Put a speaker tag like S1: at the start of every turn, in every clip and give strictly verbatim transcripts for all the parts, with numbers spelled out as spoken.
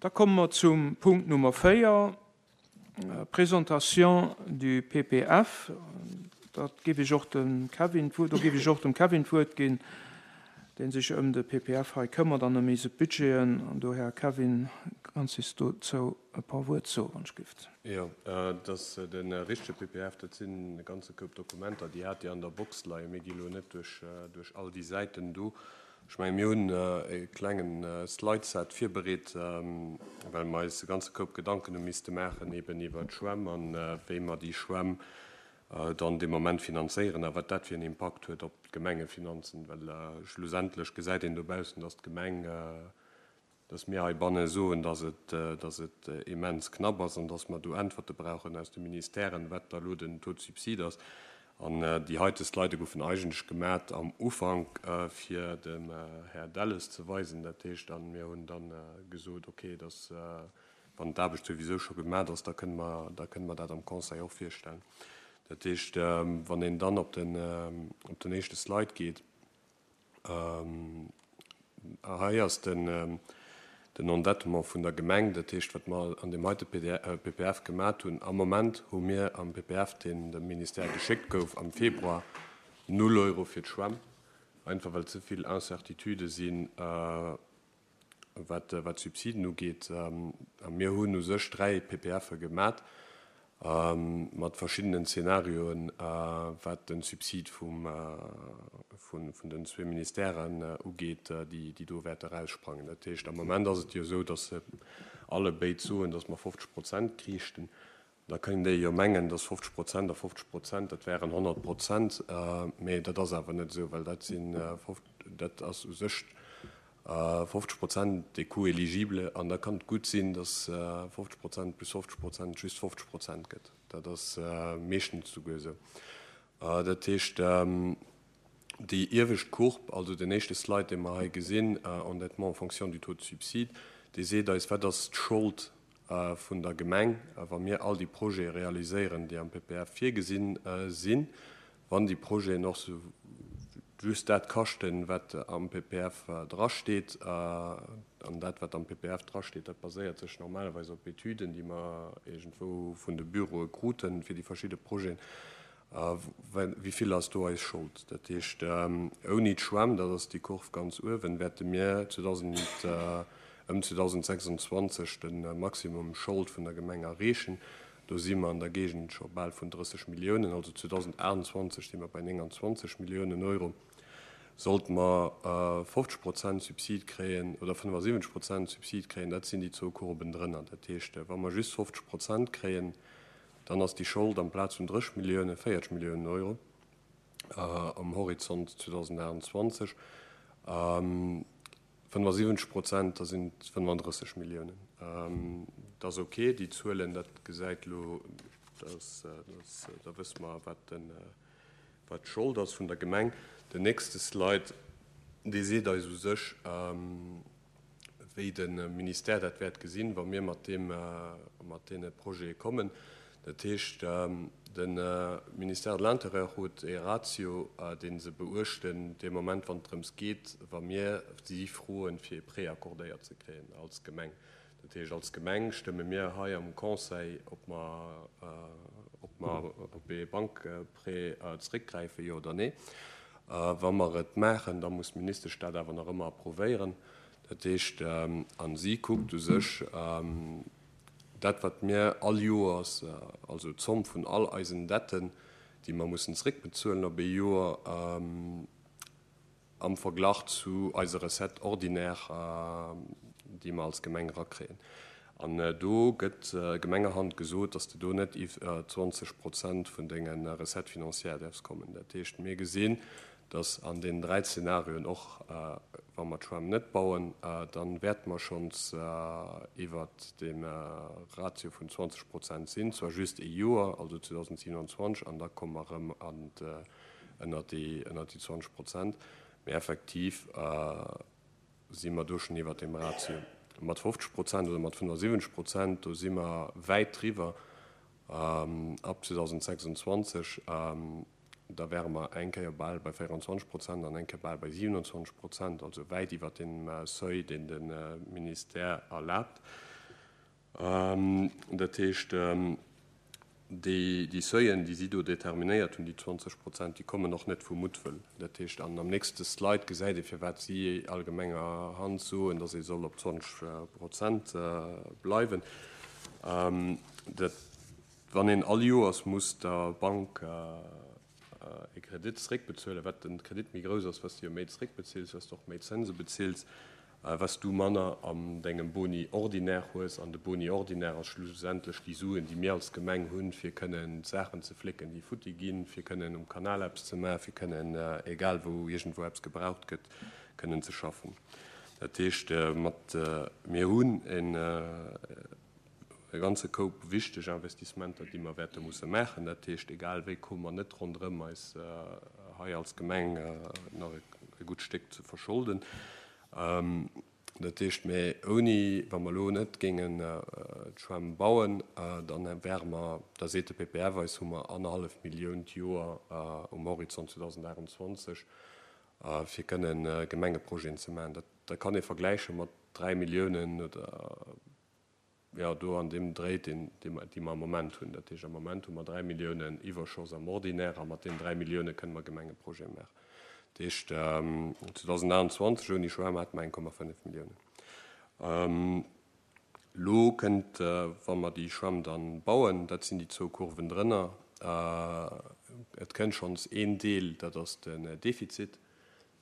S1: Da komme mer zum Punkt Nummer véier, Présentation du P P F. Dat géif ech och dem Kevin, do géif ech och dem Kevin d'Wuert ginn, deen sech ëm de P P F hei këmmert an ëm eise Budgeten. An dohier, Kevin, kanns du dozou e puer Wuert soen, wann ech gift?
S2: Jo, dat ass de richtege P P F, dat sinn e ganze Koup Dokumenter, déi hat Dir an der Box leien. Mir gi lo net duerch, duerch all déi Säiten do. Ech menge mir hunn e klengen Slideset virbereet, well mer eis e ganze Koup Gedanken hu misste maachen eben iwwer d'Schwämm an wéi mer déi Schwämm dann de Moment finanzéieren a wat dat fir en Impakt huet op d'Gemengefinanzen, well schlussendlech gesäit een dobaussen, dass d'Gemeng, dass mir heibanne soen, dass et, dass et immens knapp ass an dass mer do Äntwerte brauchen aus de Ministèren, wat da lo den Taux de subside ass. An déi heite Slide goufen eigentlech gemaach am Ufank, fir dem Här Delles ze weisen. Dat heescht dann, mir hunn dann gesot, okay, dass wann d'Aarbecht souwisou scho gemaach ass, da kënne mer, da kënne mer dat am Conseil och virstellen. Dat heescht, wann een dann op den, op den éischte Slide geet, hei ass den, den Endettement vun der Gemeng, dat heescht, wat mer an deem heite P P F gemaach hunn. Am Moment hu mir am P P F, deen dem Ministère geschéckt gouf am Februar, null Euro fir d'Schwämm, einfach well ze vill Incertitude sinn, wat, wat Subsiden ugeet. A mir hunn u sech dräi P P Fe gemaach mat verschiddenen Zenarioen, wat den Subsid vum, vun, vun den zwee Ministèren ugeet, déi, déi do wäerte raussprangen. Dat heescht, am Moment ass et jo esou, dass se alle béid soen, dass mer fofzeg Prozent kriichten. Da kënnen déi jo mengen, dass fofzeg Prozent a fofzeg Prozent, dat wären honnert Prozent, mee dat ass awer net esou, well dat sinn, dat ass u sech fofzeg Prozent des coûts éligibles an da kann et gutt sinn, dass fofzeg Prozent plus fofzeg Prozent just fofzeg Prozent gëtt. Dat ass meeschtens souguer esou. Dat heescht, déi iewescht Courbe, also den éischte Slide, dee mer hei gesinn, Endettement en fonction du taux de subside, dee seet eis, wat ass d'Schold vun der Gemeng, wa mir all déi Projete realiséieren, déi am P P F virgesinn sinn, wann déi Projeten och sou just dat kaschten, wat am P P F drasteet. An dat, wat am P P F drasteet, dat baséiert sech normalerweis op Etüden, déi mer iergendwou vun de Büroe kruten fir déi verschidde Projeten. Wéi vill ass do eis Schold? Dat heescht, ouni d'Schwämm, dat ass déi Kurv ganz uewen, wäerte mir zweedausend, ëm zweedausendsechsundzwanzeg de Maximum Schold vun der Gemeng erreechen. Do si mer an der Géigend scho bal vun drësseg Milliounen, also zweedausendachtundzwanzeg si mer bei nénganzwanzeg Milliounen Euro. Sollte mer fofzeg Prozent Subsid kréien oder fënnefasiwwenzeg Prozent Subsid kréien, dat sinn déi zwou Kurven drënner. Dat heescht, wa mer just fofzeg Prozent kréien, dann ass déi Schold amplaz vun drësseg Milliounen véierzeg Milliounen Euro am Horizont zweedausendachtundzwanzeg. fënnefasiwwenzeg Prozent, da sinn et fënnefandrësseg Milliounen. Dat ass ok, déi Zuelen, dat gesäit elo, da wësse mer, wat den, wat d'Schold ass vun der Gemeng. Den nächste Slide, dee seet eis u sech, wéi de Ministère dat wäert gesinn, wa mir mat deem, mat deene Projete kommen. Dat heescht, de Ministère de l'Intérieur huet e Ratio, dee se beuechten dee Moment, wann et drëms geet, wa mir si froen, fir e Prêt accordéiert ze kréien als Gemeng. Dat heescht, als Gemeng stëmme mir hei am Conseil, ob mer, ob mer op e Bankprêt zeréckgräifen, jo oder nee. Wa mer et maachen, da muss d'Ministesch dat awer nach ëmmer approuvéieren. Dat heescht, a si kuckt u sech dat, wat mir all Joers, also d'Zomm vun all eisen Detten, déi mer mussen zeréckbezuelen op ee Joer, am Verglach zu eiser Recette ordinaire, déi mer als Gemeng erakréien. An do gëtt gemengerhand gesot, dass de do net iwwer zwanzeg Prozent vun denge Recettes financières däerfs kommen. Dat heescht, mir gesinn, dass an deenen dräi Zenarioen, och wa mer d'Schwämm net bauen, dann wäerte mer schonns iwwert dem Ratio vun zwanzeg Prozent sinn, zwar just ee Joer, also zweedausendsiewenundzwanzeg, an da komme mer erëm an ënnert déi ënnert déi zwanzeg Prozent, mee effektiv si mer do schonn iwwert dem Ratio. Mat fofzeg Prozent oder mat fënnefasiwwenzeg Prozent, do si mer wäit driwwer ab zweedausendsechsundzwanzeg. Da wäre mer eng Kéier bal bei véierundzwanzeg Prozent an eng Kéier bal bei siewenundzwanzeg Prozent, also wäit iwwert dem Seuil, deen de Ministère erlaabt. Dat heescht, déi Seuilen, déi si do determinéiert hunn, déi zwanzeg Prozent, déi kommen och net vu Muttwëll. Dat heescht, an am nächste Slide gesäit ee firwat si allgemengerhand soen, datt ee soll op zwanzeg Prozent bleiwen. Dat, wann een all Joers muss der Bank e Kredit zréckbezuelen, wat den Kredit méi grouss ass, wat s du jo méi zréckbezills, wat s du och méi Zënse bezills, wat s du manner an dengem Boni ordinaire hues. An de Boni ordinaire ass schlussendlech déi Suen, déi mir als Gemeng hunn, fir kënnen d'Saachen ze flécken, déi futti ginn, fir kënnen um Kanal eppes ze maachen, fir kënnen, egal wou iergendwou eppes gebraucht gëtt, kënnen ze schaffen. Dat heescht, mat, mir hunn en e ganze Koup wichteg Investissementer, déi mer wäerte musse maachen. Dat heescht, egal wéi komme mer net ronderëm, eis hei als Gemeng nach e gutt Stéck ze verscholden. Dat heescht, mä ouni, wa mer elo net géingen d'Schwämm bauen, dann wäre mer, da seet de P P F eis, hu mer annerhallef Millioun d'Joer um Horizont zweedausendachtundzwanzeg, fir kënnen Gemengeprojeten ze maachen. Dat, dat kann ee vergläiche mat dräi Milliounen oder, ja, do an deem Dréi, deen, dee mer, déi mer am Moment hunn. Dat heescht, am Moment hu mer dräi Milliounen Iwwerschoss am Ordinaire a mat deenen dräi Millioune kënne mer Gemengeprojete maachen. Dat heescht, zweedausendachtundzwanzeg ouni Schwämm hate mer eng Komma fënnef Milliounen. Elo kënnt, wa mer déi Schwämm dann bauen, dat sinn déi zwou Kurven drënner, et kënnt schonns een Deel, dat ass den Defizit,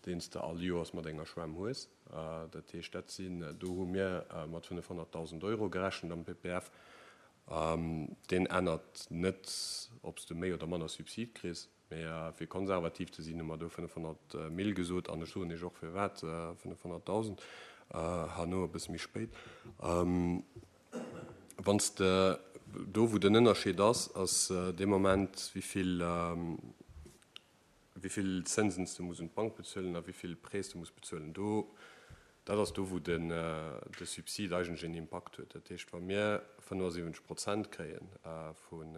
S2: deen s de all Joers mat enger Schwämm hues. Dat heescht, dat sinn, do hu mir mat fënnefhonnertdausend Euro gerechent am P P F. Deen ännert net, ob s de méi oder manner Subsid kriss, mee fir konservativ ze sinn, hu mer do fënnefhonnert Mille gesot, an ech soen iech och firwat fënnefhonnertdausend, herno e bësse méi spéit. Wann s de do, wou den Ënnerscheed ass, ass dee Moment, wéi vill, wéi vill Zinsen du muss un d'Bank bezuelen a wéi vill Prêts du muss bezuelen. Do, dat ass do, wou den, de Subsid eigentlech een Impakt huet. Dat heescht, wa mir fënnefundsiwwenzeg Prozent kréien vun,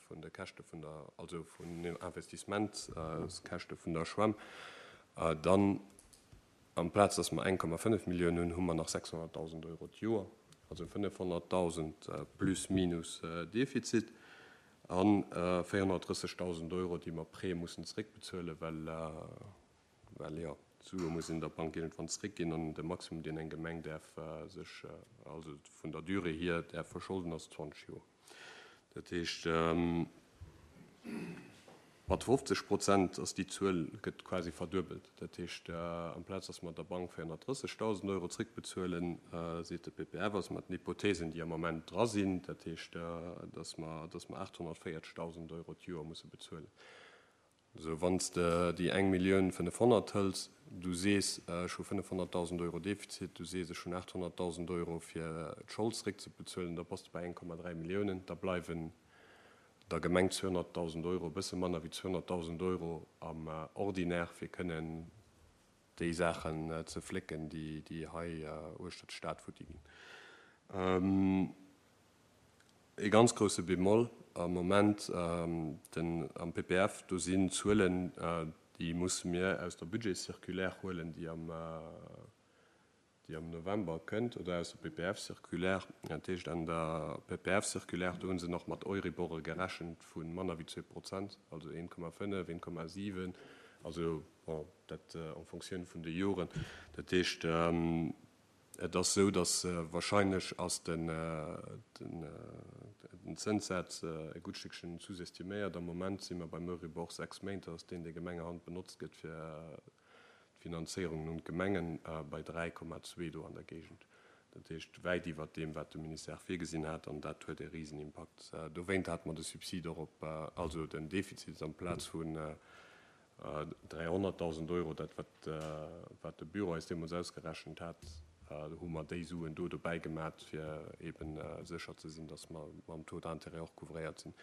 S2: vun de Käschte vun der, also vun den Investissementskäschte vun der Schwämm, dann amplaz, dass mer eng Komma fënnef Milliounen hunn, hu mer nach sechshonnertdausend Euro d'Joer, also fënnefhonnertdausend plus minus Defizit an véierhonnertdrëssigtausend Euro, déi mer Prêt mussen zréckbezuelen, well, well ja, d'Sue muss in der Bank irgendwann zréckginn an de Maximum, deen eng Gemeng däerf sech, also vun der Durée hier, däerf verscholden, ass zwanzeg Joer. Dat heescht, mat fofzeg Prozent ass déi Zuel, gëtt quasi verduebelt. Dat heescht, amplaz, dass mer der Bank véierhonnertdrëssigtausend Euro zréckbezuelen, seet de P P F, ass mat den Hypothesen, déi am Moment dra sinn, dat heescht, dass mer, dass mer achthonnertvéierzigtausend Euro d'Joer musse bezuelen. Also, wann s de déi eng Millioun fënnefhonnert hëls, du sees, ech hu fënnefhonnertdausend Euro Defizit, du sees, ech hunn achthonnertdausend Euro fir d'Schold zréckzebezuelen, da bass du bei eng Komma dräi Milliounen, da bleiwen der Gemeng zweehonnertdausend Euro, e bësse manner wéi zweehonnertdausend Euro am Ordinaire, fir kënnen déi Saachen ze flécken, déi, déi hei uechter d'Stad futti ginn. E ganz grouse Bémol am Moment, den, am P P F, do sinn Zuelen, déi musse mir aus der Budgetcirculaire huelen, déi am, déi am November kënnt, oder aus der P P F-Circulaire. Dat heescht, an der P P F-Circulaire, do hunn se nach mat Euribore gerechent vu manner wéi zwee Prozent, also een Komma fënnef, een Komma siwen, also bon, dat en Fonctioun vun de Joren. Dat heescht, et ass sou, dass wahrscheinlech ass den, den, den Zinssatz e gutt Stückchen sous-estiméiert. Am Moment si mer beim Euribor sechs Méint, dat ass deen, dee Gemengehand benotzt gëtt fir d'Finanzéierung un d'Gemengen, bei dräi Komma zwee do an der Géigend. Dat heescht, wäit iwwer deem, wat de Ministère virgesinn hat, an dat huet e Riesenimpakt. Dowéint hat mer de Subsid och op, also den Defizit amplaz vun dräihonnertdausend Euro, dat wat, wat de Büro eis deemools ausgerechent hat, hu mer déi Suen do dobäi gemaach, fir eben sécher ze sinn, dass mer mam Taux d'intérêt och couvréiert sinn.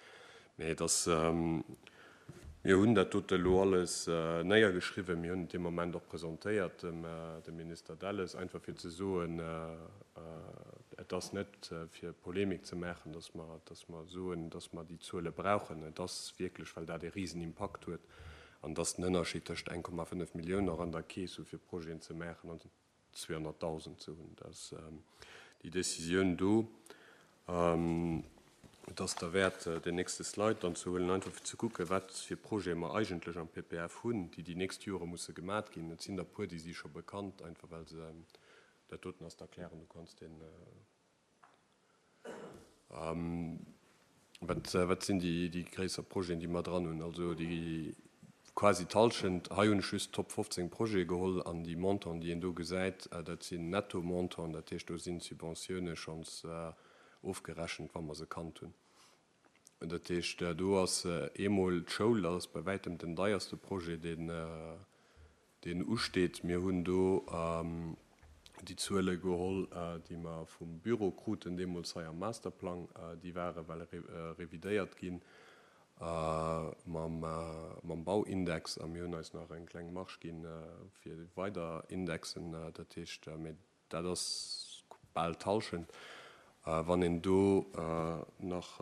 S2: Mee dass, mir hunn dat dote lo alles néiergeschriwwen, mir hunn et dee Moment och presentéiert dem, dem Minister Delles, einfach fir ze soen, et ass net fir Polemik ze maachen, dass mer, dass mer soen, dass mer déi Zuele brauchen. Et ass wierklech, well dat e riesen Impakt huet an dass den Ënnerscheed tëscht eng Komma fënnef Milliounen nach an der Keess hu fir Projeten ze maachen an zweehonnertdausend ze hunn. Dass déi Decisioun do Et ass derwäert, den nächste Slide dann ze huelen, einfach fir ze kucken, wat fir Projete mer eigentlech am P P F hunn, déi déi nächst Jore musse gemat ginn. Et sinn der puer, déi si scho bekannt, einfach well se dat doten ass z'erklären, du kanns den ähm, wat, wat sinn déi, déi gréisser Projeten, déi mer dran hunn? Also déi quasi d'Hallschent, hei hunn ech just Top fofzéng Projete geholl an déi Montanten, déi een do gesäit, dat sinn Netto-Montanten, dat heescht, do sinn d'Subventioune schonns ofgerechent, wa mer se kannt hunn. Dat heescht, do ass eemol d'Schoul, dat ass bei wäitem den deierste Projet, deen deen usteet. Mir hunn do déi Zuele geholl, déi mer vum Büro kruten deemools hei am Masterplang. Déi ware well revidéiert ginn mam mam Bauindex a mir hunn eis nach eng kleng Marge ginn fir weider Indexen. Dat heescht, mee dat ass bal d'Hallschent. Wann een do nach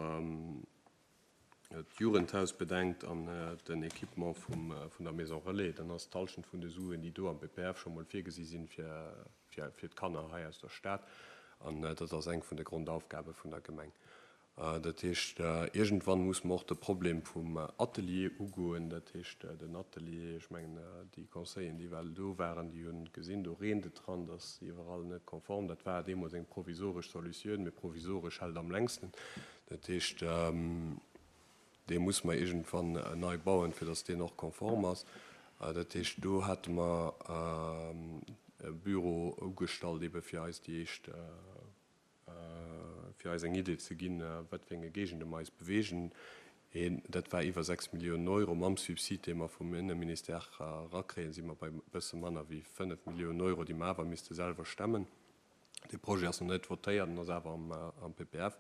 S2: d'Jugendhaus bedenkt an den Equipement vum vun der Maison Relais, dann ass d'Hallschent vun de Suen, déi do am P P F scho mol virgesi sinn fir fir fir d'Kanner hei aus der Stad. An dat ass eng vun de Grondaufgabe vun der Gemeng. Dat heescht, iergendwann muss mer och de Problem vum Atelier ugoen. Dat heescht, den Atelier, ech mengen, déi Conseilleren, déi well do waren, déi hunn gesinn, do reent et dran, dat ass iwwerall net konform. Dat war deemools eng provisoresch Solutioun, mee provisoresch hält am längsten. Dat heescht, dee muss mer iergendwann nei bauen, fir datt deen och konform ass. Dat heescht, do hate mer e Büro ugestallt, ebe fir eis déi éischt, fir eis eng Idee ze ginn, wat fir enge Géigende mer eis beweegen. Een, dat war iwwer sechs Milliounen Euro. Mam Subsid, dee mer vum Inneministère erakréien, si mer bei e bësse manner wéi fënnef Milliounen Euro, déi mer awer misste selwer stemmen. Dee Projet ass nach net votéiert, en ass awer am, am P P F.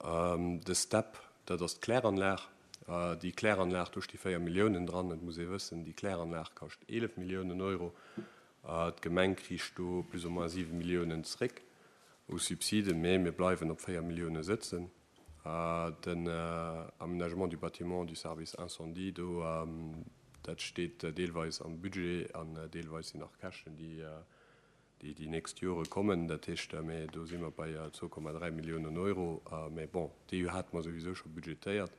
S2: De STEP, dat ass d'Kläranlag. Déi Kläranlag, do sti véier Milliounen dran. Et muss ee wëssen, déi Kläranlag kascht eelef Milliounen Euro. D'Gemeng kricht do plus ou moins siwe Milliounen zréck u Subsiden, mee mir bleiwen op véier Millioune sëtzen. Den Aménagement du bâtiment du service incendie, do, dat steet deelweis am Budget an deelweis sinn nach Käschten, déi déi déi nächst Jore kommen. Dat heescht, mee do si mer bei zwou Komma dräi Milliounen Euro. Mee bon, déi hate mer souwisou scho budgetéiert.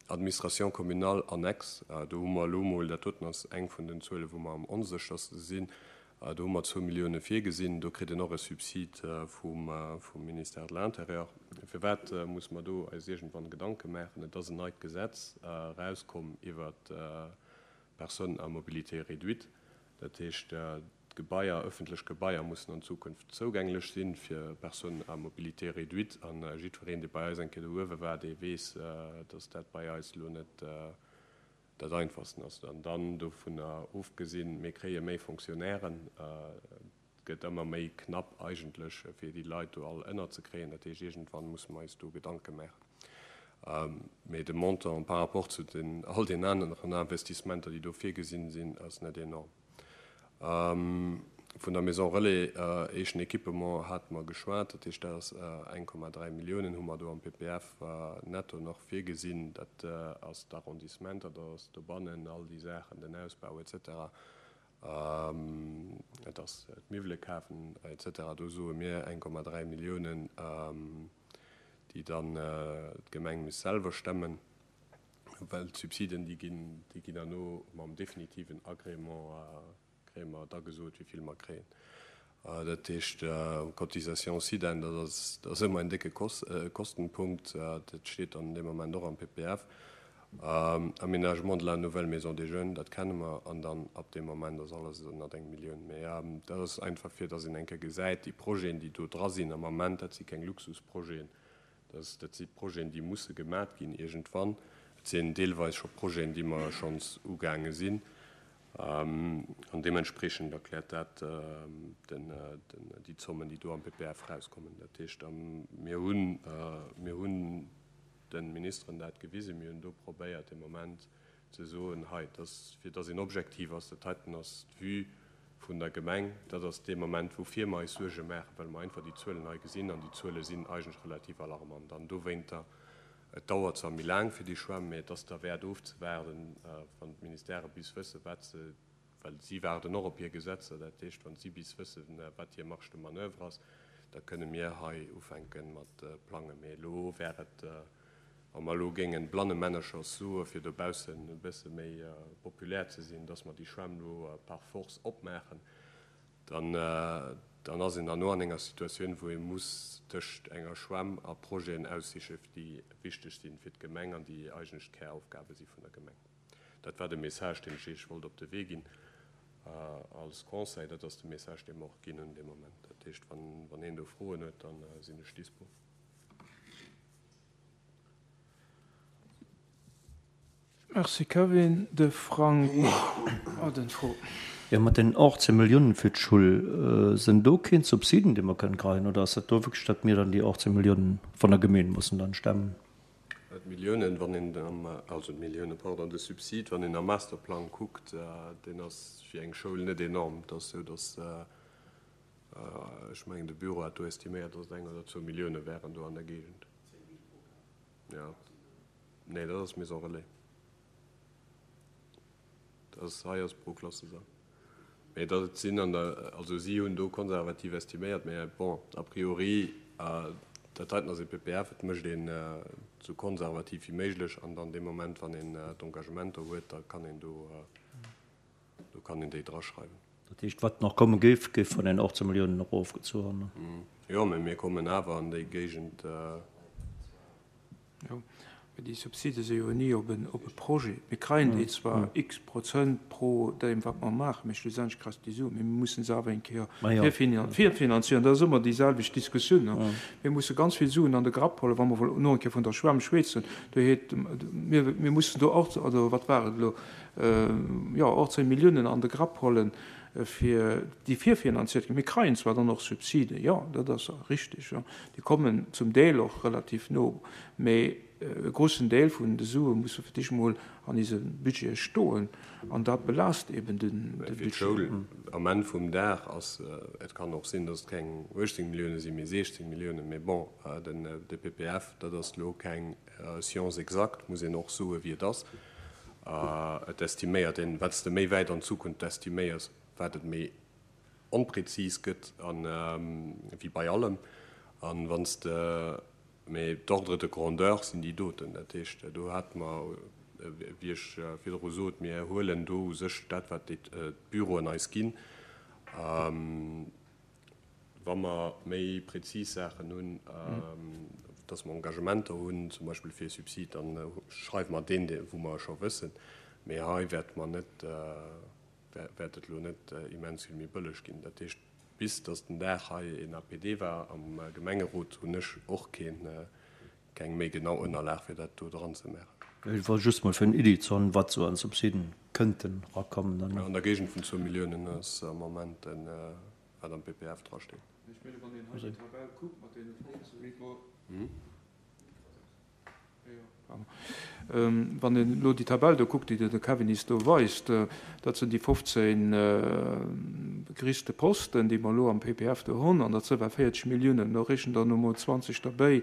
S2: Administration communale annexe, do hu mer elo mol, dat doten ass eng vun den Zuelen, wou mer am onsécherste sinn, do hu mer zwou Millioune virgesinn. Do kritt een och e Subsid vum Ministère de l'Intérieur. Firwat muss mer do eis iergendwann Gedanke maachen? Et ass en neit Gesetz erauskomm iwwer d'Personnes à mobilité réduite. Dat heescht, d'Gebaier, ëffentlech Gebaier mussen an Zukunft zougänglech sinn fir Personnes à mobilité réduite. An jiddwereen, dee bei eis eng Kéier do uewe war, dee weess, dass dat bei eis elo net dat Einfachsten ass. An dann dovunner ofgesinn, mir kréie méi Fonctionnairen, et gëtt ëmmer méi knapp eigentlech, fir déi Leit do all ënnerzekréien. Dat heescht, iergendwann musse mer eis do Gedanke maachen. Mee de Montant par rapport zu den all den aneren Investissementer, déi do virgesinn sinn, ass net enorm. Vun der Maison Relais, éischten Equipement, hate mer geschwat. Dat heescht, dat ass eng Komma dräi Milliounen hu mer do am P P F netto nach virgesinn. Dat ass d'Arrondissement, dat ass dobannen all déi Saachen, den Ausbau et cetera. Et ass d'Miwwele kafen et cetera. Do soe mir eng Komma dräi Milliounen, déi dann d'Gemeng misst selwer stemmen, well d'Subsiden, déi ginn, déi ginn herno mam definitiven Agrément, kréie mer da gesot, wéi vill mer kréien. Dat heescht, Cotisation SIDEN, dat ass, dat ass ëmmer en décke Kostenpunkt. Dat steet dann dee Moment och am P P F. Aménagement de la nouvelle maison des jeunes, dat kenne mer. An dann ab deem Moment ass alles ënnert eng Millioun. Mee dat ass einfach, fir datt een eng Kéier gesäit, déi Projeten, déi do dra sinn am Ament, dat si keng Luxusprojeten. Dat, dat si Projeten, déi musse gemat ginn iergendwann. Et sinn deelweis scho Projeten, déi mer schonns ugaange sinn. An deementspriechend erkläert dat den, den, déi Zommen, déi do am P P F rauskommen. Dat heescht, mir hunn, mir hunn de Ministeren dat gewisen, mir hunn do probéiert de Moment ze soen, hei, dass, fir dass een objektiv ass, dat heiten ass d'Vue vun der Gemeng, dat ass dee Moment, woufir mer eis Suerge maachen, well mer einfach déi Zuelen hei gesinn an déi Zuele sinn eigentlech relativ alarmant. An dowéinter, et dauert zwar méi laang fir déi Schwämm, mee et ass derwäert ofzewaarden, wann d'Ministèrë bis wëssen, wat se, well si waarden och op hir Gesetzer, dat heescht, wann si bis wëssen, wat hir Marge de manoeuvre ass, Da kënne mir hei ufänke mat plangen. Mee elo wär et, wa mer elo géingen blannemännercher soe fir dobaussen e bësse méi populär ze sinn, dass mer déi Schwämm elo par force opmaachen, dann, dann ass een herno an enger Situatioun, wou ee muss tëscht enger Schwämm a Projeten aussiche déi wichteg sinn fir d'Gemeng an déi eigentlech d'Käraufgabe si vun der Gemeng. Dat war de Message, deen ech Iech wollt op de Wee ginn als Conseil. Dat ass de Message, dee mer och ginn hunn dee Moment. Dat heescht, wann, wann een do Froen huet, da sinn ech dispo.
S1: Merci Kevin. De Frank hat eng Fro.
S3: Jo, mat den achtzehn Milliounen fir d'Schull, sinn do keen Subsiden, déi mer kënnen kréien, oder ass dat do wierklech, datt mir dann déi achtzehn Milliounen vun der Gemeen mussen dann stemmen?
S2: D'Milliounen, wann een am, also d'Milliounen, pardon, de Subsid, wann een am Masterplang kuckt, deen ass fir eng Schoul net enorm. Et ass esou, datt, ech mengen, de Büro hat do estiméiert, datt et eng oder zwou Millioune wären do an der Géigend. Jo, nee, dat ass Maison relais. Dat ass, hei ass pro Klassesall. Mee dat sinn an der, also si hunn do konservativ estiméiert, mä bon, a priori, dat heiten ass e P P F, et mécht een esou konservativ wéi méiglech an dann dee Moment, wann een d'Engagementer huet, da kann een do, do kann een déi draschreiwen.
S3: Dat heescht, wat nach komme géif, géif vun den achtzehn Milliounen erofgezu.
S2: Jo, mä mir kommen awer an déi Géigend.
S1: Jo, mee déi Subside si jo ni op en, op e Projet. Mir kréien déi zwar x Prozent pro deem, wat mer maachen, mee schlussendlech kréis de déi Suen. Mee mir mussen se awer eng Kéier virfinanzieren. Dat ass ëmmer déi selwecht Diskussioun. Mir musse ganz vill Suen an de Grapp huelen, wa mer wëllen no eng Kéier vun der Schwämm schwätzen. Do heet, mir, mir mussen do och, also wat war et elo, jo, achtzehn Milliounen an de Grapp huelen, fir déi virfinanziert ginn. Mir kréien zwar dann och Subside, jo, dat ass richtig, jo. Déi kommen zum Deel och relativ no, mee e großen Deel vun de Sue musse fir dich mol an diese Budget stoen an dat belaasst eben den,
S2: Mä
S1: de
S2: fir
S1: Budget.
S2: d'Schoul am Enn vum Dag ass, et kann och sinn, datt et keng achtzehn Millioune sinn, mee sechzehn Millioune, mee bon, den, de P P F, dat ass lo keng Science exacte, muss een och soe wéi et ass. Et estiméiert een, wat s de méi wäit an d'Zukunft estiméiers, wat et méi onpräzis gëtt an wéi bei allem. An wann s de, mee d'Ordre de grandeur sinn déi doten. Dat heescht, do hat mer, wéi ech virdru sot, mir huelen do u sech dat, wat déi d'Büroen eis ginn. Wa mer méi präzis Saachen hunn, dass mer Engagementer hunn, zum Beispill fir e Subsid, dann schreiwe mer deen, wou mer scho wëssen. Mee hei wäert mer net, wäert et lo net immens vill méi bëlleg ginn. Dat heescht, bis dass den Dag hei en A P D war am Gemengerot, hunn ech och keen, keng méi genau Ënnerlag, fir dat do dran ze maachen.
S3: Et war just mol fir eng Iddi ze hunn, wat sou an Subsiden kënnten rakommen. Dann.
S2: An der Géigend vun zwou Milliounen ass am Moment den, wat am P P F drasteet.
S1: Ech menge wann een hei déi Tabell kuckt mat deene fofzehn Wann een elo déi Tabell do kuckt, déi de Kevin is do weist, dat sinn déi fofzehn gerichte Posten, déi mer elo am P P F do hunn, an dat sinn ewell véierzeg Milliounen, do rechent der no mol zwanzeg derbäi,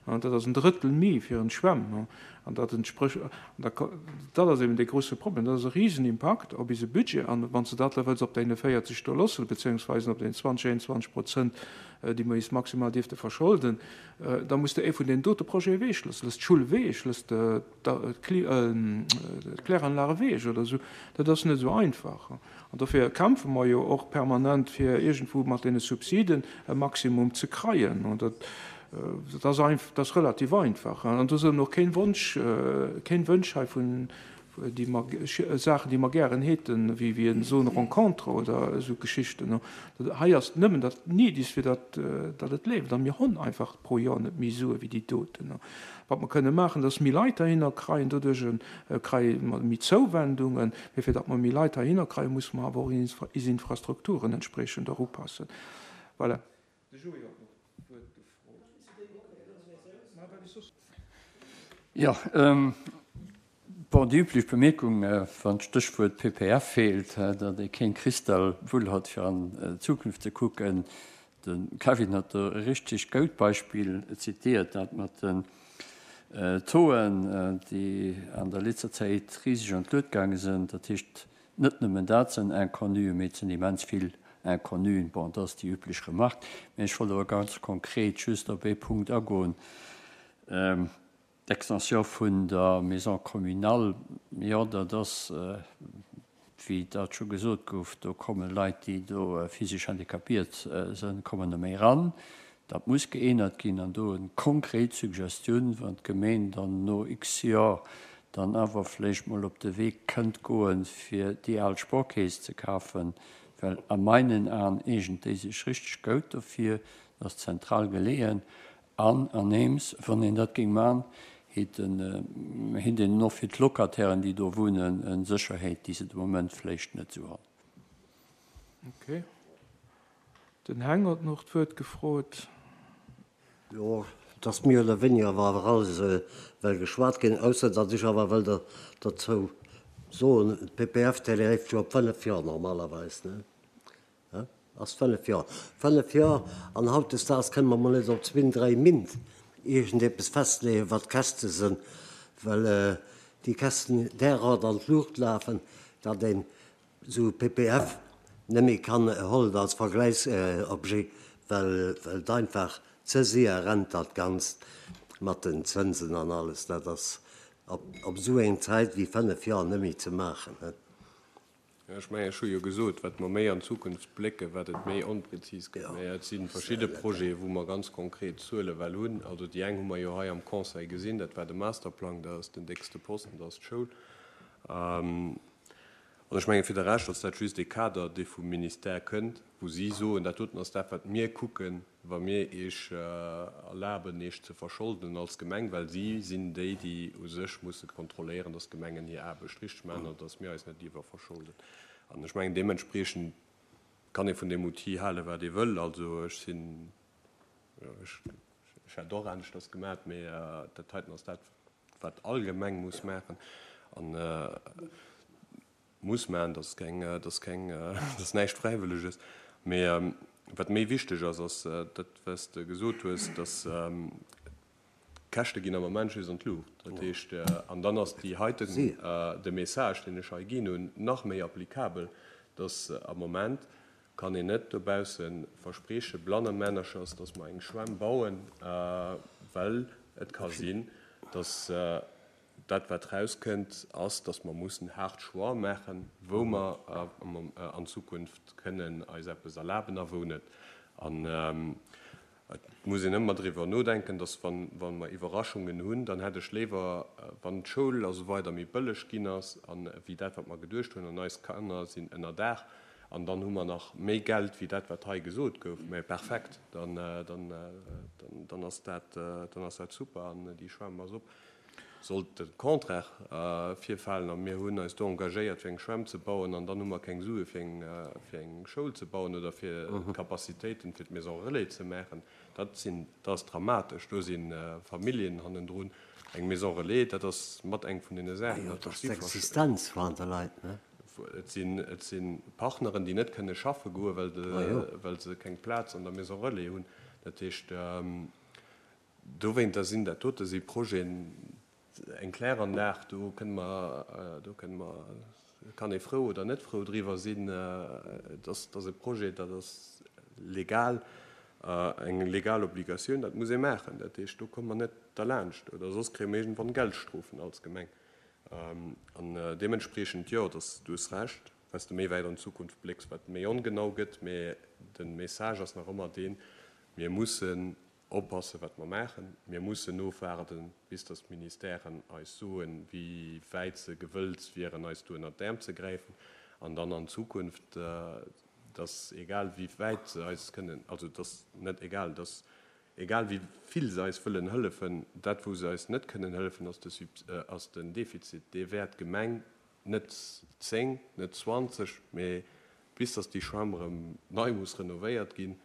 S1: an dat ass en Drëttel méi fir en Schwämm. An dat entspricht, an da ko-, dat ass eben dee grosse Problem, dat ass e Riesenimpakt op eise Budget, an wann s du dat da wëlls op deine véierzeg do loossen, beziehungsweise op den zwanzeg, einundzwanzeg Prozent, déi mer is maximal dierfte verscholden, da muss du ee vun den dote Projete weg loossen, looss d'Schul weg, looss d'Kläranlage weg oder so. Dat ass net so einfach. An dofir kämpfe mer jo och permanent fir irgendwo mat den Subsiden e Maximum ze kreien. Und dat, dat ass einf-, dat ass relativ einfach. An do sinn och keen Wunsch, keen Wunsch hei vun déi mer ge-, Sachen, déi mer gären hätten, wéi, wéi en so eine Rencontre oder so Geschichten. Dat, hei ass nëmmen dat Nidis, fir dat, dat et leeft. An mir hunn einfach pro Jahr net méi Sue wéi déi Doten. Wat mer kënne maachen, dass méi Leit dahinner kreien, doduerch en, kreie mer méi Zuwendungen, mee fir dat mer méi Leit dahinner kreien, muss mer awer och in is Infrastrukturen entsprechend erupassen. Voilà. De Joé hat noch d'Wuert gefrot.
S4: Ja, ähm, bon, die übliche Bemerkung, äh, wann Stichwort P P F fehlt, äh, datt ee keng Kristallwull hat fir an, äh, Zukunft ze kucken. Den Kevin hat e richtig gut Beispiel zitiert, dat mat den, äh, Toen, äh, déi an der letzter Zäit riesig an d'Lued gegangen sind. Dat heescht, net nëmmen dat sinn Inconnu, mee et sinn immens vill Inconnuen. Bon, dat ass déi üblech Remarque. Mä ech wollt awer ganz konkret just op ee Punkt agoen, d'Extension vun der Maison communale. Jo, dat ass, wéi dat scho gesot gouf, do komme Leit, déi do physesch handicapiert sënn, kommen do méi eran. Dat muss geännert ginn an do eng konkret Suggestioun, wann d'Gemeen dann no x Joer dann awer vläicht mol op de Wee kënnt goen, fir déi al Sporkeess ze kafen, well a meinen Aen eegent déi sech richteg goud dofir, ass zentral geleeën an aneems, wann een dat géing man, heet een och fir d'Locatairen, déi do wunnen, eng Sécherheet, déi se de Moment vläicht net esou han.
S1: Ok. Den Heng huet nach d'Wuert gefrot.
S5: Jo, et ass méi oder wéiniger awer awer alles well geschwat ginn, ausser datt ech awer wëll dozou soen, d'PPF, déi leeft jo op fënnef Joer normalerweis, ne? Ass fënnef Joer. Fënnef Joer, an hautdesdaags kënne mer mol net op zwee, dräi Mint iergendeppes festleeën, wat d'Käschte sinn, well déi Käschten derart an d'Luucht lafen, datt een esou e PPF net méi kann hollen als Vergläichsobjet, well et einfach ze séier rennt dat Ganzt mat den Zënsen an alles. Dat ass op esou eng Zäit wéi fënnef Joer net méi ze maachen.
S2: Ech mengen, ech hu jo gesot, wat mer méi an d'Zukunft blécken, wat et méi onprezis gëtt. Mä et si verschidde Projete, wou mer ganz konkret Zuele well hunn. Also déi eng hu mer jo hei am Conseil gesinn, dat war de Masterplang, dat ass den déckste Posten, dat ass d'Schoul. An ech mengen, fir de Rescht ass dat just ee Kader, dee vum Ministère kënnt, wou si soen, dat doten ass dat, wat mir kucken, wa mir Iech erlaben, Iech ze verscholden als Gemeng, well si sinn déi, déi u sech musse kontrolléieren, dass d'Gemengen hir Aarbecht richteg maachen an dass mir eis net iwwerverscholden. An ech mengen, deementspriechend kann ee vun deem Outil halen, wat ee wëll. Also ech sinn, jo, ech, ech hätt och aneschters gemaat, mee dat heiten ass dat, wat all Gemeng muss maachen. An muss maachen, dat ass keng, dat ass keng, dat ass näischt Fräiwëlleges. Mee wat méi wichteg ass, ass dat, wat s de gesot hues, dass d'Käschte ginn am Moment just an d'Luucht. Dat heescht, an dann ass déi heiten, de Message, deen ech hei ginn hunn, nach méi applicabel, dass am Moment kann een net dobausse verspreeche blannemännerchers, dass mer eng Schwämm bauen, well et ka sinn, dass Dat, wat erauskënnt, ass, dass mer mussen haart Choix maachen, wou mer an Zukunft kënnen eis eppes erlaben a wou net. An et muss een ëmmer driwwer nodenken, dass, wa mer Iwwerraschungen hunn, dann hätt ech léiwer, wann d'Schoul a sou weider méi bëlleg ginn ass wéi dat, wat mer geduecht hunn, an eis Kanner sinn ënnerdaach an dann hu mer nach méi Geld wéi dat, wat hei gesot gouf. Mä perfekt, dann ass dat super an déi Schwämm ass op. Sollt de Contraire virfalen a mir hunn eis do engagéiert fir eng Schwämm ze bauen an dann hu mer keng Sue fir eng Schoul ze bauen oder fir d'Capacitéiten fir d'Maison relais ze maachen, dat sinn, dat ass dramatesch. Do si Familljen hannendrun. Eng Maison relais, dat ass mat eng vun deene Saachen,
S5: dat ass d'Existenz vun de Leit, ne?
S2: Et sinn, et si Partneren, déi net kënne schaffe goen, well de, well se keng Plaz an der Maison relais hunn. Dat heescht, dowéinter sinn dat dote si Projeten, Eng Kläranlag, do kënne mer, do kënne mer, kann ee frou oder net frou driwwer sinn. Et ass, et ass e Projet, dat ass legal, eng legal Obligatioun, dat muss ee maachen. Dat heescht, do komme mer net derlaanscht oder soss kréie mer iergendwann Geldstrofen als Gemeng. An deementspriechend, jo, dass, du hues Recht, wat s de méi wäit an d'Zukunft blécks, wat méi ongenau gëtt, mä de Message ass nach ëmmer deen, Mir mussen Oppassen, wat mer maachen. Mir mussen ofwaarden, bis dass d'Ministèren eis soen, wéi wäit se gewëllt wieren, eis do ënnert d'Äerm ze gräifen. An dann an Zukunft, dass egal wéi wäit se eis kënnen, also dass net egal, dass egal wéi vill se eis wëllen hëllefen, dat wou se eis net kënnen hëllefen, ass de ass den Defizit. Dee wäert d'Gemeng net zéng, net zwanzeg, mee bis dass déi Schwämm erëm nei muss renovéiert ginn,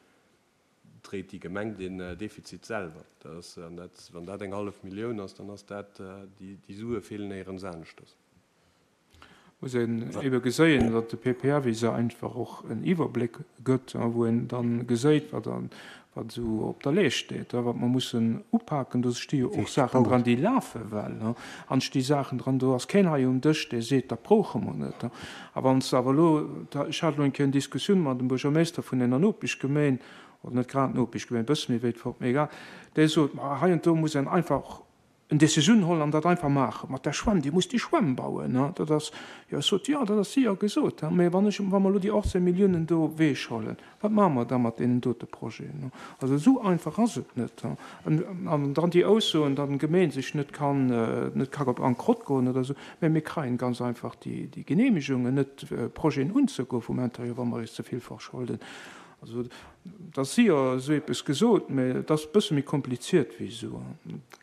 S2: dréit déi Gemeng den Defizit selwer. Dat ass, an dat, wann dat eng hallef Millioun ass, dann ass dat, déi, déi Sue feelen néierens aneschters.
S1: Muss een ebe geséien, datt de P P F iser einfach och en Iwwerbléck gëtt, wou een dann geséit, wat an, wat esou op der Leescht steet, wat mer mussen upaken. Do sti jo och Saachen dran, déi lafe well. An et sti Saachen dran, do ass keen hei um Dësch, dee seet, dat brauche mer net. A wann s de awer elo, ech hat elo eng Kéier eng Diskussioun mat dem Buergermeester vun enger Nopeschgemeen, oder net grad Nopeschgemeen, e bësse méi wéit fort, mee egal, dee sot, ma hei an do muss een einfach en Decisioun hollen an dat einfach maachen. Mat der Schwämm, Dir musst déi Schwämm bauen, ne? Dat ass, jo, ech sot, jo, dat ass séier gesot, ne? Mä wann ech, wa mer elo déi achtzéng Milliounen do ewechhollen, wat maache mer da mat deenen dote Projeten, ne? Also esou einfach ass et net, ne? An, an dann déi Aussoen, datt eng Gemeen sech net kann, net ka op Bankrott goen oder esou, mä mir kreien ganz einfach déi, déi Genehmigungen net, Projeten unzegoen vum Intérieur, wa mer eis ze vill verscholden. Also, et ass séier esou eppes gesot, mä et ass e bësse méi kompliziert wéi esou.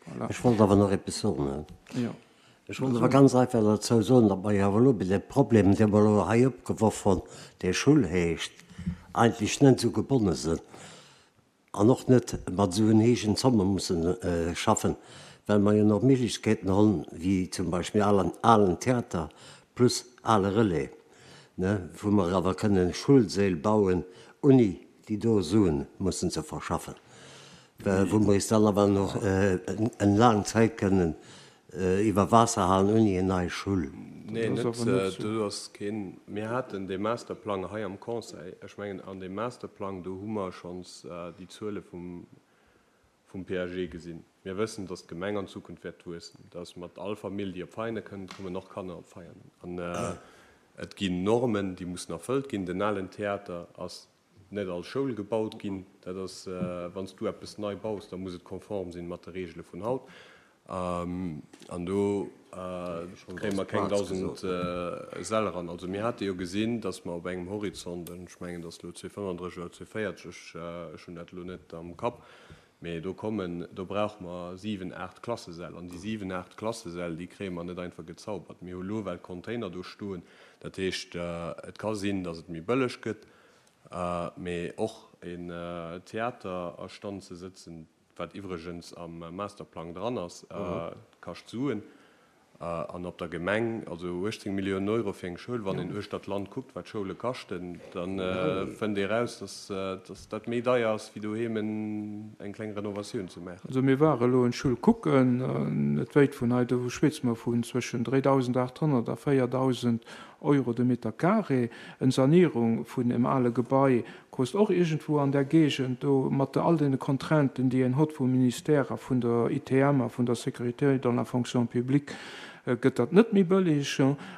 S1: Voilà.
S5: Ech wollt awer nach eppes soen.
S1: Jo.
S5: Ech wollt awer ganz einfach dozou soen, datt mer jo awer elo bei deem Problem, dee mer elo hei opgeworf hunn, dee Schull heescht, eigentlech net esou gebonne sinn an och net mat esou en héijen Zomme mussen schaffen, well mer jo nach Méiglechkeeten hunn, wéi zum Beispill alen, alen Theater plus ale Relais, ne, wou mer awer kënnen Schulsäll bauen, ouni déi do Suen mussen ze verschaffen, wou mer eis dann awer nach eng laang Zäit kënnen iwwer Waasser halen ouni eng nei Schull.
S2: Nee, net, do ass keen. Mir haten dee Masterplang hei am Conseil. Ech mengen, an deem Masterplang, do hu mer schonns déi Zuele vum, vum P A G gesinn. Mir wëssen, dass d'Gemeng an Zukunft wäert wuessen, dass mat all Famill, déi op Veianen kënnt, kommen och Kanner op Veianen. An et ginn Normen, déi mussen erfëllt ginn. Den alen Theater ass net als Schoul gebaut ginn. Dat ass, wann s du eppes nei baus, da muss et konform sinn mat de Reegele vun haut. An do kréie mer keng dausend Säll eran. Also mir hate jo gesinn, dass mer op engem Horizont, ech mengen, dass elo zweeënfënnefdrësseg oder zweeënvéierzeg, ech hunn dat elo net am Kapp, mee do kommen, do brauche mer siwen, aacht Klassesäll. An déi siwen, aacht Klassesäll, déi kréie mer net einfach gezaubert. Mir hu lo well Container do stoen. Dat heescht, et ka sinn, dass et méi bëlleg gëtt, mee och en Theater a Stand ze sëtzen, wat iwwregens am Masterplang dran ass, kascht Suen. An op der Gemeng, also uechtzéng Milliounen Euro fir eng Schoul, wann een uechter d'Land kuckt, wat Schoule kaschten, da fënnt ee raus, dass dat méi deier ass, wéi doheem eng kleng Renovatioun ze maachen.
S1: Also mir ware elo en Schoul kucken, net wéit vun hei, do schwätze mer vun zwëschen dräidausendachthonnert a véierdausend Euro de Meter carré. Eng Sanierung vun em ale Gebai kost och iergendwou an där Géigend do, mat all deene Contrainten, déi een hott vum Ministère a vun der I T M a vun der Sécurité dans la fonction publique, gëtt dat net méi bëlleg.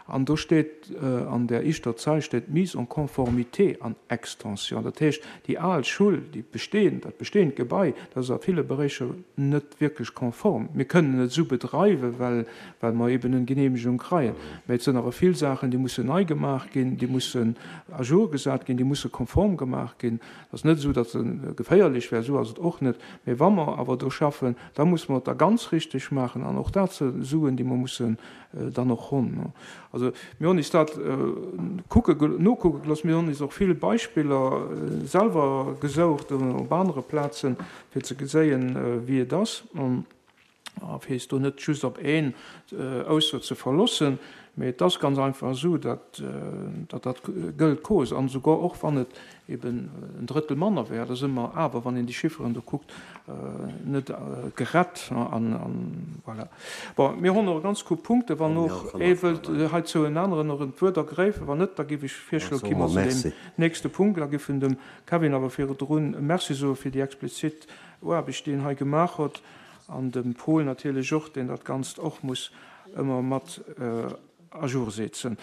S1: An do steet an där éischter Zeil steet mise en conformité an extension. Dat heescht, déi al Schull, déi bestehend, dat bestehend Gebai, dat ass a ville Beräicher net wierklech konform. Mir kënnen et esou bedreiwen, well, well mer eben eng Genehmegung kreien. Mä et sinn awer vill Saachen, déi mussen nei gemaach ginn, déi mussen à jour gesat ginn, déi musse konform gemaach ginn. Et ass net esou, datt se geféierlech wär, esou ass et och net. Mä wa mer awer do schaffen, da musse mer et da ganz richteg maachen an och dat si Suen, déi mer mussen dann och hunn. Also mir hunn is dat kucke, nokucke gelooss. Mir hunn is och vill Beispiller selwer gesoucht op anere Plazen, fir ze geséien, wéi et ass, a fir is do net just op een Ausso ze verloossen. Mee et ass ganz einfach esou, datt dat Gëld kost. An esouguer och wann et eben en Drëttel manner wär, da si mer awer, wann een déi Chifferen do kuckt, net gerett. An voilà. Bon, mir hunn och ganz gutt Punkte. Wann och ee wëllt heizou en aneren och d'Wuert ergräifen. Wann net, da géif ech virschloen, gi mer zu deem nächste Punkt. Da géifen dem Kevin awer virdrun Merci soe fir déi explizit Aarbecht, déi en hei gemaach huet, an dem Paul natierlech och, deen dat Ganzt och muss ëmmer mat à jour setzen.